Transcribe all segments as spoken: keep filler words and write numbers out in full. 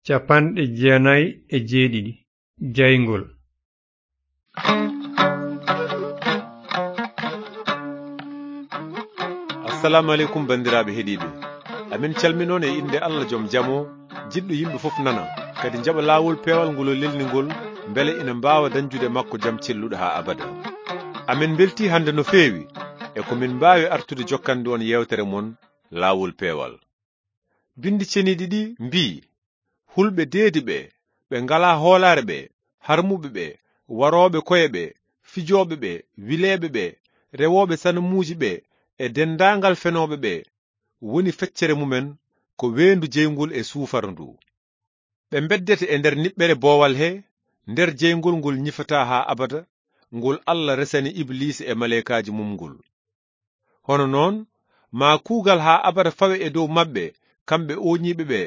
Capanɗe jeenayi e jeeɗiɗi. Jayngol. Assalamu aleykum, banndiraaɓe heɗiiɓe. Amin calminoon e innde Allah joom jam o, jiɗɗo yimɓe fof nana, kadi njaɓa laawol peewal ngol o lelni ngol, mbele ina mbaawa dañjude makko jam celluɗo haa abada. Amin mbeltii hannde no feewi, e ko min mbaawi artude jokkande on yeewtere mon, Laawol Peewal. Binndi ceniiɗi ɗi mbii, hulɓe deedi ɓe, ɓe ngalaa hoolaare ɓe, harmuɓe ɓe, warooɓe koye ɓe, fijooɓe ɓe, wileeɓe ɓe, rewooɓe sanamuuji ɓe, e denndaangal fenooɓe ɓe, woni feccere mumen ko weendu jeyngol e suufara ndu. Ɓe mbeddete e nder niɓɓere boowal he, nder jeyngol ngol ñifataa haa abada, ngol Allah resani Ibliisa e maleykaaji mum ngol. Hono noon, maa kuugal haa abada fawe e dow maɓɓe, kamɓe ooñiiɓe ɓe,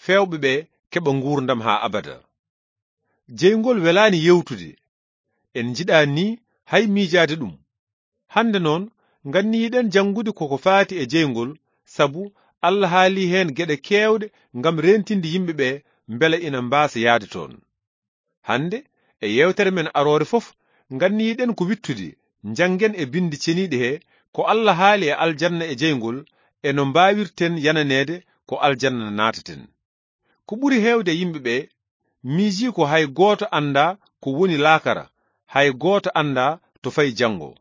feewɓe ɓe keɓa nguurndam haa abada. Jeyngol welaani yewtude. En njiɗaani nii hay miijaade ɗum. Hannde noon, nganniyiɗen janngude ko ko faati e jeyngol, sabu Allah haalii heen geɗe keewɗe ngam reentinde yimɓe ɓe mbele ina mbaasa yahde toon. Hannde, e yeewtere men aroore fof, nganniyiɗen ko wiɗtude, njanngen e Binndi Ceniiɗi he ko Allah haali e aljanna e jeyngol, e no mbaawirten yananeede ko aljanna naataten. Ko ɓuri heewde e yimɓe ɓe miijii ko hay gooto anndaa ko woni laakara, hay gooto anndaa to fayi janngo.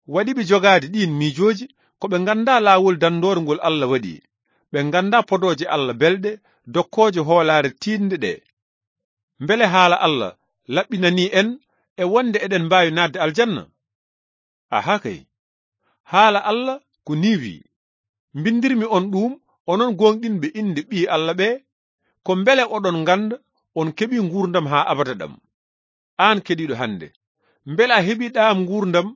Waɗi ɓe jogaade ɗiin miijooji ko ɓe nganndaa laawol danndoore ngol Allah waɗi, ɓe nganndaa podooje Allah belɗe, dokkooje hoolaare tiiɗnde ɗe. Mbele haala Allah laɓɓinanii en e wonde eɗen mbaawi naatde aljanna? Aha kay. Haala Allah ko nii wiyi, mbinndirmi on ɗuum, onon gooŋɗinɓe innde Ɓii Allah ɓe, ko mbele oɗon ngannda on keɓii nguurndam haa abada ɗam. Aan keɗiiɗo hannde, mbele a heɓii ɗaam nguurndam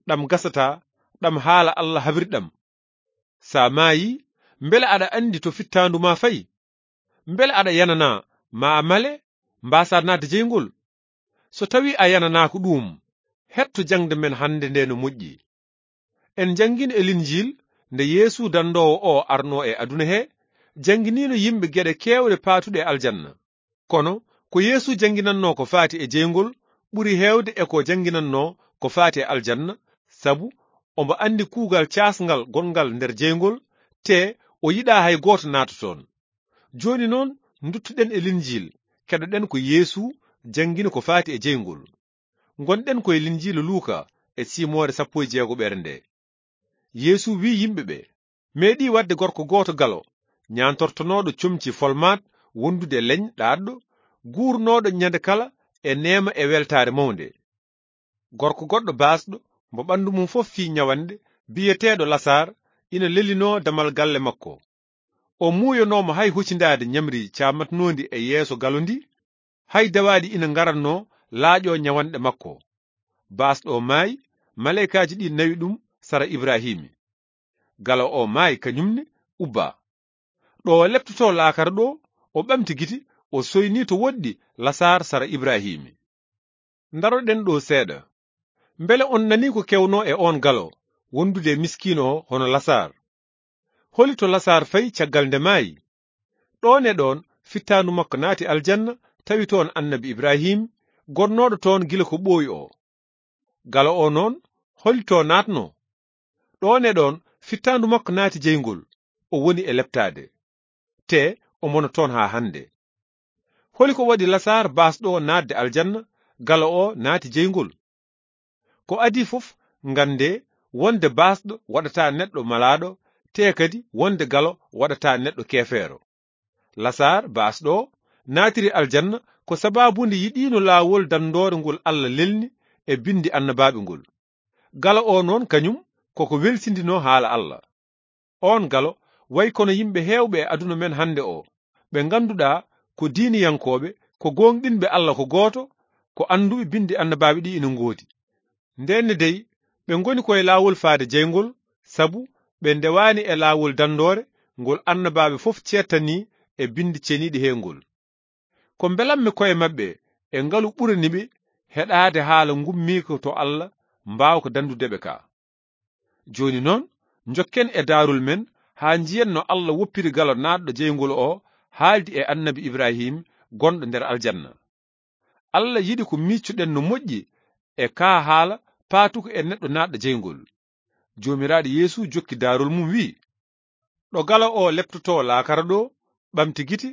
ɗam gasataa, ɗam haala Allah habri ɗam? So a maayii, mbele aɗa anndi to fittaandu maa fayi? Mbele aɗa yananaa ma a male, mbaasaa naatde jeyngol? So tawii a yananaaka ɗuum, heɗto jaŋde men hannde nde no moƴƴi. En njanngino e Linjiil, nde Yeesu danndoowo o arnoo e aduna he, jannginiino yimɓe geɗe keewɗe paatuɗe e aljanna. Kono, ko Yeesu jannginannoo ko faati e jeyngol ɓuri heewde e ko jannginannoo ko faati e aljanna, sabu omo anndi kuugal caasngal gonngal nder jeyngol, te o yiɗaa hay gooto naata toon. Jooni noon, nduttuɗen e Linjiil, keɗoɗen ko Yeesu janngini ko faati e jeyngol. Ngonɗen ko e Linjiilu Luuka e siimoore sappo e jeegoɓere nde. Yeesu wiyi yimɓe ɓe, meeɗii waɗde gorko gooto galo, ñaantortonooɗo comci folmaat wondude e leñ ɗaatɗo, guurnooɗo ñande kala e neema e weltaare mawnde. Gorko goɗɗo baasɗo, mo ɓanndu mum fof fii ñawanɗe, biyeteeɗo Lasaar, ina lelinoo damal galle makko. O muuyonooma hay hocindaade ñamri caamatnoondi e yeeso galo ndi, hay dawaaɗi ina ngaratnoo laaƴoo ñawanɗe makko. Baasɗo o maayi, maleykaaji ɗi nawi ɗum sara Ibrahiimi. Galo o maayi kañum ne, ubbaa. Ɗo o leptotoo laakara ɗo, o ɓamti gite, o soynii to woɗɗi Lasaar sara Ibrahiimi. Ndaroɗen ɗo seeɗa. Mbele on nanii ko kewnoo e oon galo, wondude e miskiino o hono Lasaar? Holi to Lasaar fayi caggal nde maayi? Ɗoon e ɗoon, fittaandu makko naati aljanna, tawi toon Annabi Ibrahiim, gonnooɗo toon gila ko ɓooyi o. Galo o noon, holi to naatnoo? Ɗoon e ɗoon, fittaandu makko naati jeyngol, o woni e leptaade. Te omo wona toon haa hannde. Holi ko waɗi Lasaar baasɗo o naatde aljanna, galo o naati jeyngol? Ko adii fof, nganndee wonde baasɗo waɗataa neɗɗo malaaɗo, te kadi wonde galo waɗataa neɗɗo keefeero. Lasaar baasɗo o naatiri aljanna ko sabaabu nde yiɗiino laawol danndoore ngol Allah lelni e binndi annabaaɓe ngol. Galo o noon kañum koko welsindinoo haala Allah. Oon galo wayi kono yimɓe heewɓe e aduna men hannde o, ɓe ngannduɗaa ko diiniyankooɓe, ko gooŋɗinɓe Allah ko gooto, ko annduɓe binndi annabaaɓe ɗi ina ngoodi. Ndeen ne dey, ɓe ngoni ko e laawol faade jeyngol, sabu ɓe ndewaani e laawol danndoore ngol annabaaɓe fof ceettanii e binndi ceniiɗi he ngol. Ko mbelammi koye maɓɓe e ngalu ɓurani ɓe heɗaade haala ngummiiko to Allah mbaawka danndude ɓe ka. Jooni noon, njokken e daarol men haa njiyen no Allah woppiri galo naatɗo jeyngol o haaldi e annabi Ibrahim gonɗo nder aljanna. Allah yiɗi ko miccuɗen no moƴƴi e kaa haala paatuko e neɗɗo naatɗo jeyngol. Joomiraaɗo Yeesu jokki daarol mum wi'i, "Ɗo galo o leptotoo laakara ɗo, ɓamti gite,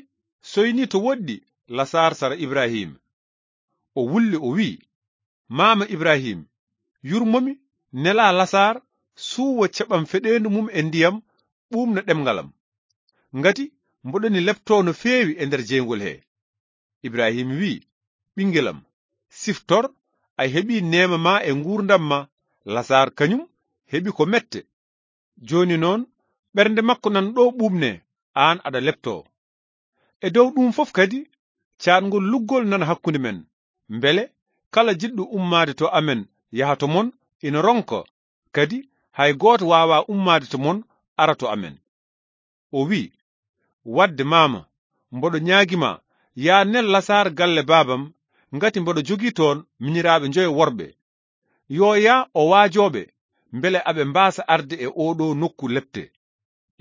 soyni to woɗɗi Lasaar sara Ibrahim." O wulli o wi'i, "Maama Ibrahim, yurmomi, nelaa Lasaar suuwa caɓam feɗeendu mum e ndiyam ɓuumna ɗemngal am. Ngati mboɗoni leptoo no feewi e nder jeyngol he." Ibrahim wi'i, "Ɓinngel am, siftor, a heɓii neema ma e nguurndam ma, Lasaar kañum heɓi ko mette. Jooni noon, ɓernde makko nan ɗo ɓuuɓne, aan aɗa leptoo. E dow ɗum fof kadi, caatngol luggol nana hakkunde men, mbele kala jiɗɗo ummaade to amen yaha to mon ina ronka, kadi hay gooto waawaa ummaade to mon ara to amen." O wi'i, "Wadde maama, mboɗo ñaagi ma, yaa nel Lasaar galle baabam, ngati mboɗo jogii toon miñiraaɓe njoyo worɓe. Yo yaa o waajoo ɓe, mbele aɓe mbaasa arde e oo ɗoo nokku lepte."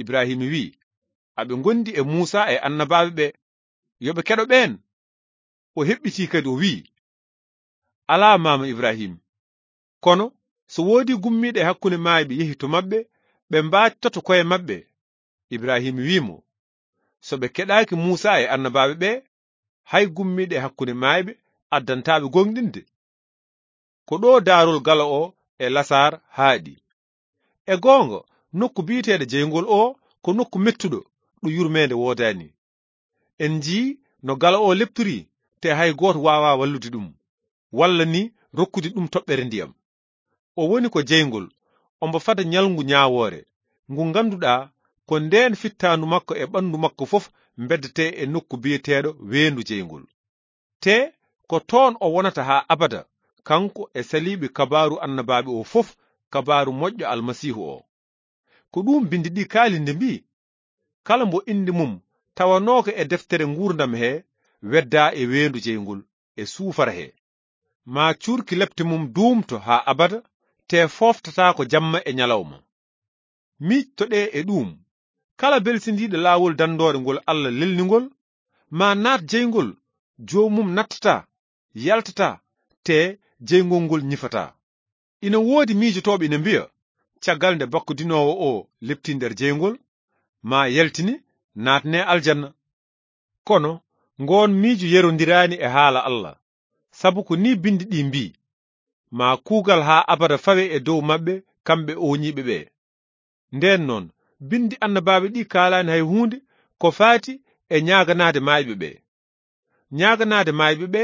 Ibrahim wi'i, "Aɓe ngondi e Muusa e annabaaɓe ɓe. Yo ɓe keɗo ɓeen." O heɓɓitii kadi o wi'i, "Alaa maama Ibrahim. Kono so woodii gummiiɗo e hakkunde maayɓe yehi to maɓɓe, ɓe mbaactoto ko'e maɓɓe." Ibrahim wi'i mo, "So ɓe keɗaaki Muusa e annabaaɓe ɓe, hay gummiiɗo e hakkunde maayɓe addantaa ɓe gooŋɗinde." Ko ɗo daarol galo o e Lasaar haaɗi. E goonga, nokku biyeteeɗo jeyngol o ko nokku mettuɗo, ɗo yurmeende woodaani. En njii no galo o leptori, te hay gooto waawaa wallude ɗum, walla ni rokkude ɗum toɓɓere ndiyam. O woni ko jeyngol, ombo fada ñalngu ñaawoore, ngu ngannduɗaa ko ndeen fittaandu makko e ɓanndu makko fof mbeddetee e nokku biyeteeɗo weendu jeyngol. Te ko toon o wonata haa abada, kanko e saliiɓe kabaaru annabaaɓe o fof, kabaaru moƴƴo Almasiihu o. Ko ɗum binndi ɗi kaalinde mbii, "Kala mbo innde mum tawanooka e deftere nguurndam he, weddaa e weendu jeyngol e suufara he." Maa cuurki lepte mum duumto haa abada, te fooftataako jamma e ñalawma. Miijtoɗee e ɗuum. Kala belsindiiɗo laawol danndoore ngol Allah lelningol, maa naat jeyngol, joomum nattataa, yaltataa, te jeyngol ngol ñifataa. Ina woodi miijotooɓe ina mbiya, caggal nde bakkodinoowo o leptii nder jeyngol, maa yaltini, naatne aljanna. Kono ngoon miijo yerondiraani e haala Allah, sabu ko nii binndi ɗi mbii, "Maa kuugal haa abada fawe e dow maɓɓe, kamɓe ooñiiɓe ɓe." Ndeen noon, binndi annabaaɓe ɗi kaalaani hay huunde ko faati e ñaaganaade maayɓe ɓe. Ñaaganaade maayɓe ɓe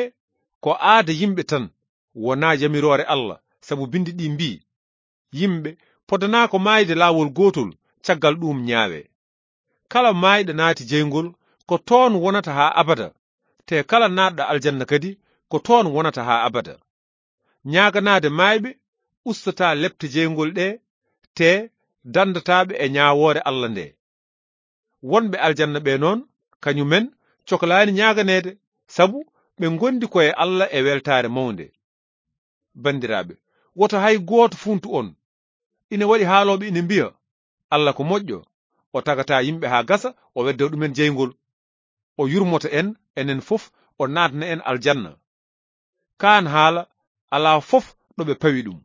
ko aada yimɓe tan, wonaa yamiroore Allah, sabu binndi ɗi mbii, "Yimɓe podanaa ko maayde laawol gootol, caggal ɗuum ñaawe." Kala maayɗo naati jeyngol, ko toon wonata haa abada, te kala naatɗo aljanna kadi, ko toon wonata haa abada. Ñaaganaade maayɓe ustataa lepte jeyngol ɗe, te danndataa ɓe e ñaawoore Allah nde. Wonɓe aljanna ɓe noon, kañumen coklaani ñaaganeede, sabu ɓe ngondi ko e Allah e weltaare mawnde. Banndiraaɓe, woto hay gooto fuuntu on. Ina waɗi haalooɓe ina mbiya, "Allah ko moƴƴo, o tagata yimɓe haa gasa, o wedda ɗumen jeyngol. O yurmoto en, enen fof, o naatna en aljanna." Kaan haala, alaa fof ɗo ɓe pawi ɗum.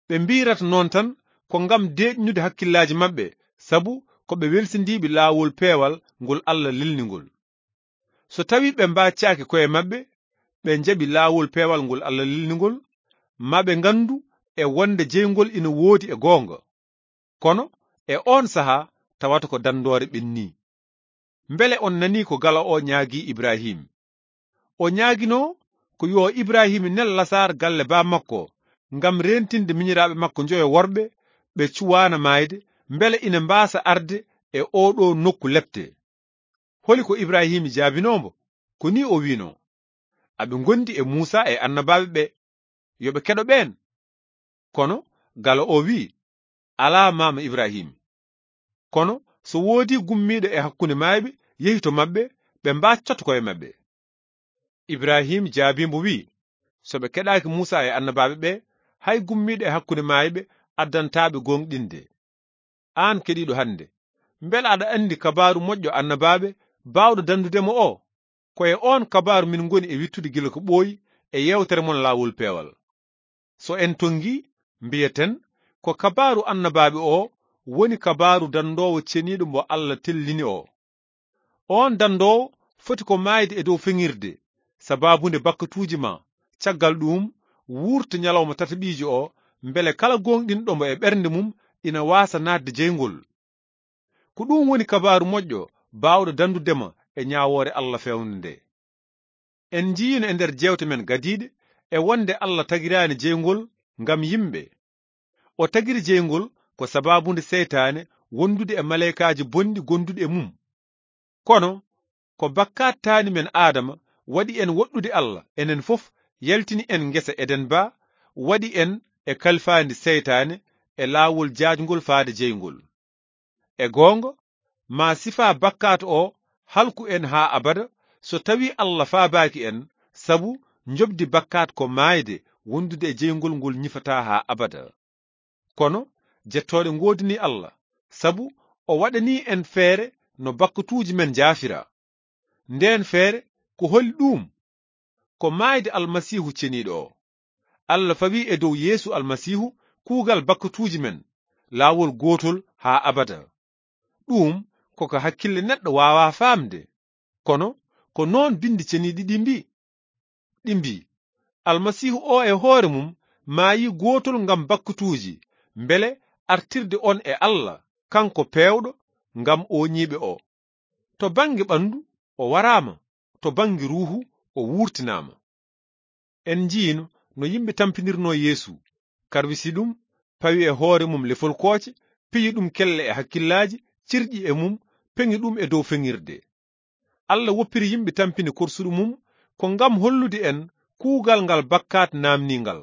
Ɓe mbiyrata noon tan ko ngam deeƴnude hakkillaaji maɓɓe, sabu ko ɓe welsindiiɓe laawol peewal ngol Allah lelningol. So tawii ɓe mbaaccaaki ko'e maɓɓe, ɓe njaɓi laawol peewal ngol Allah lelningol, maa ɓe nganndu e wonde jeyngol ina woodi e goonga. Kono e oon sahaa tawata ko danndoore ɓennii. Mbele on nanii ko galo o ñaagii Ibrahim? O ñaaginoo ko yo Ibrahim nel Lasaar galle baa makko ngam reentinde miñiraaɓe makko njoyo worɓe ɓe cuwaana maayde, mbele ina mbaasa arde e oo ɗoo nokku lepte. Holi ko Ibrahim jaabinoo mbo? Ko nii o wiinoo, "Aɓe ngondi e Muusa e annabaaɓe ɓe. Yo ɓe keɗo ɓeen." Kono galo o wi'i, "Alaa maama Ibrahim. Kono so woodii gummiiɗo e hakkunde maayɓe yehi to maɓɓe, ɓe mbaaccoto ko'e maɓɓe." Ibrahim jaabii mbo wi'i, "So ɓe keɗaaki Muusa e annabaaɓe ɓe, hay gummiiɗo e hakkunde maayɓe addantaa ɓe gooŋɗinde. Aan keɗiiɗo hannde, mbele aɗa anndi kabaaru moƴƴo annabaaɓe baawɗo dandude mo o? Ko e oon kabaaru min ngoni e wittude gila ko ɓooyi e yeewtere mon laawol peewal. So en tonngi, mbiyaten ko kabaaru annabaaɓe o woni kabaaru dandoowo ceniiɗo mbo Alla tellini o. Oon dandoowo foti ko maayde e dow feŋirde, sabaabu nde bakkatuuji ma, caggal ɗuum, wuurta ñalawma tataɓiijo o, mbele kala gooŋɗinɗo mo e ɓernde mum ina waasa naatde jeyngol. Ko ɗum woni kabaaru moƴƴo baawɗo dandude ma e ñaawoore Alla feewnde nde. En njiyino e nder jeewte men gadiiɗe e wonde Alla tagiraani jeyngol ngam yimɓe. O tagiri jeyngol ko sabaabu nde seytaane wondude e maleykaaji bonɗi gonduɗi e mum. Kono ko bakkaat taani men Aadama waɗi en woɗɗude Alla, enen fof yaltini en ngesa Eden ba, waɗi en e kalfaandi seytaane e laawol jaajngol faade jeyngol. E goonga, ma sifaa bakkaat o halku en haa abada, so tawii Alla faabaaki en, sabu njoɓdi bakkaat ko maayde wondude e jeyngol ngol ñifataa haa abada. Kono jettooɗe ngoodini Alla, sabu o waɗanii en feere no bakkatuuji men njaafira. Ndeen feere, ko holi ɗuum? Ko maayde Almasiihu ceniiɗo o. Alla fawi e dow Yeesu Almasiihu kuugal bakkatuuji men, laawol gootol haa abada. Ɗuum ko ko hakkille neɗɗo waawaa faamde. Kono ko noon Binndi Ceniiɗi ɗi mbii. Ɗi mbii, Almasiihu o e hoore mum maayi gootol ngam bakkatuuji, mbele artirde on e Alla, kanko peewɗo ngam ooñiiɓe o. To bannge ɓanndu, o waraama, to bannge ruuhu, o wuurtinaama. En njiino no yimɓe tampinirnoo Yeesu, karwisi ɗum, pawi e hoore mum lefol kooce, piyi ɗum kelle e hakkillaaji, cirƴi e mum, peŋi ɗum e dow feŋirde. Alla woppiri yimɓe tampini korsuɗo mum ko ngam hollude en kuugal ngal bakkaat naamniingal.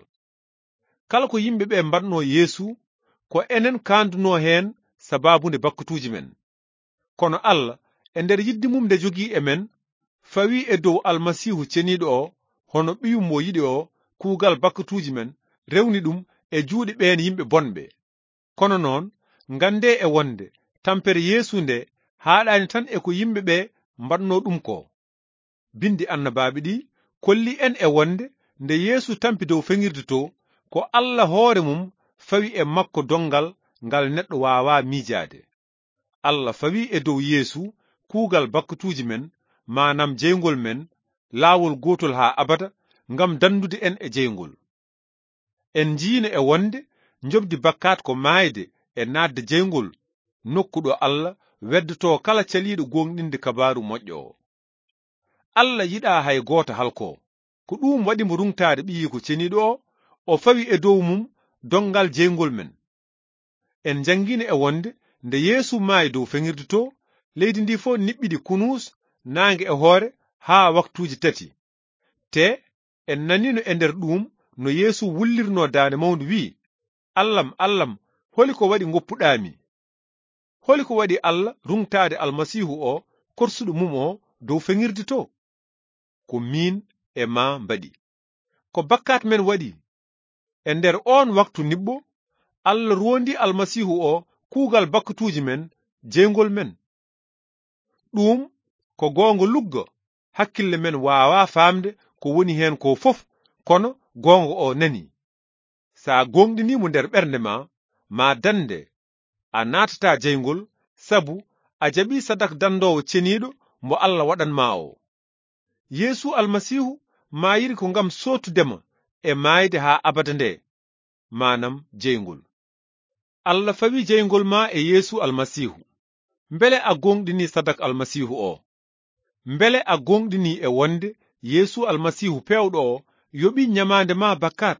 Kala ko yimɓe ɓe mbaɗnoo Yeesu, ko enen kaandunoo heen sabaabu nde bakkatuuji men. Kono Alla, e nder yidde mum nde jogii e men, fawi e dow Almasiihu ceniiɗo o, hono ɓiyum mo yiɗi o, kuugal bakkatuuji men, rewni ɗum e juuɗe ɓeen yimɓe bonɓe. Kono noon, nganndee e wonde tampere Yeesu nde haaɗaani tan e ko yimɓe ɓe mbaɗnoo ɗum ko. Binndi annabaaɓe ɗi kolli en e wonde nde Yeesu tampi dow feŋirde to, ko Alla hoore mum fawi e makko donngal ngal neɗɗo waawaa miijaade. Alla fawi e dow Yeesu kuugal bakkatuuji men, maanam jeyngol men, laawol gootol haa abada, ngam danndude en e jeyngol. En njiino e wonde njoɓdi bakkaat ko maayde e naatde jeyngol, nokku ɗo Alla weddotoo kala caliiɗo gooŋɗinde kabaaru moƴƴo o. Alla yiɗaa hay gooto halkoo. Ko ɗuum waɗi mo ruŋtaade Ɓiyiiko Ceniiɗo o, o fawi e dow mum donngal jeyngol men. En njanngiino e wonde nde Yeesu maayi dow feŋirde to, leydi ndi fof niɓɓidi kunuus, naange e hoore, haa waktuuji tati. Te en naniino e nder ɗuum no Yeesu wullirnoo daande mawnde, wi'i, "Allam, Allam, holi ko waɗi ngoppuɗaa mi?" Holi ko waɗi Alla ruŋtaade Almasiihu o, korsuɗo mum o, dow feŋirde to? Ko miin e maa mbaɗi. Ko bakkaat men waɗi. E nder oon waktu niɓɓo, Alla roondi Almasiihu o kuugal bakkatuuji men, jeyngol men. Ɗuum ko goonga lugga, hakkille men waawaa faamde ko woni heen ko fof, kono goonga o nani. So a gooŋɗinii mo nder ɓernde ma, ma dannde, a naatataa jeyngol, sabu a jaɓii sadak dandoowo ceniiɗo mo Alla waɗan ma o. Yeesu Almasiihu maayiri ko ngam sootude ma e maayde haa abada nde, maanam jeyngol. Alla fawi jeyngol ma e Yeesu Almasiihu. Mbele a gooŋɗinii sadak Almasiihu o? Mbele a gooŋɗinii e wonde Yeesu Almasiihu peewɗo o yoɓii ñamaande ma bakkaat?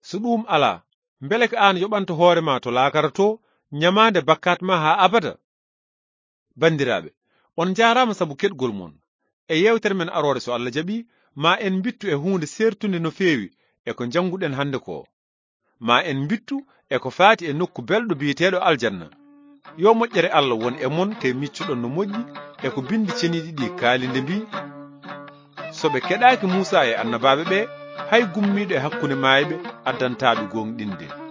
So ɗuum alaa, mbele ko aan yoɓanta hoore ma to laakara to ñamaande bakkaat ma haa abada? Banndiraaɓe, on njaaraama sabu keɗgol mon. E yeewtere men aroore, so Alla jaɓii, ma en mbittu e huunde seertunde no feewi e ko njannguɗen hannde ko. Ma en mbittu e ko faati e nokku belɗo biyeteeɗo aljanna. Yo moƴƴere Alla won e mon, te miccuɗon no moƴƴi e ko Binndi Ceniiɗi ɗi kaali nde mbii, "So ɓe keɗaaki Muusaa e annabaaɓe ɓe, hay gummiiɗo e hakkunde maayɓe addantaa ɓe gooŋɗinde."